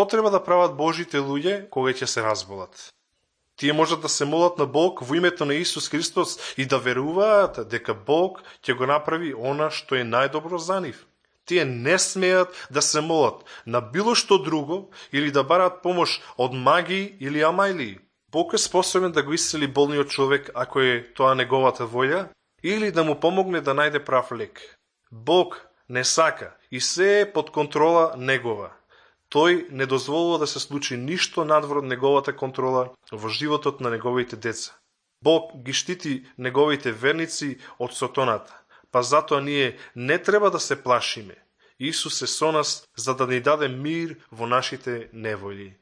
Што треба да прават Божите луѓе кога ќе се разболат? Тие можат да се молат на Бог во името на Исус Христос и да веруваат дека Бог ќе го направи она што е најдобро за нив. Тие не смеат да се молат на било што друго или да барат помош од маги или амајлии. Бог е способен да го исцели болниот човек ако е тоа неговата волја или да му помогне да најде прав лек. Бог не сака и се е под контрола негова. Тој не дозволува да се случи ништо надвор од неговата контрола во животот на неговите деца. Бог ги штити неговите верници од сатаната, па затоа ние не треба да се плашиме. Исус е со нас за да ни даде мир во нашите неволји.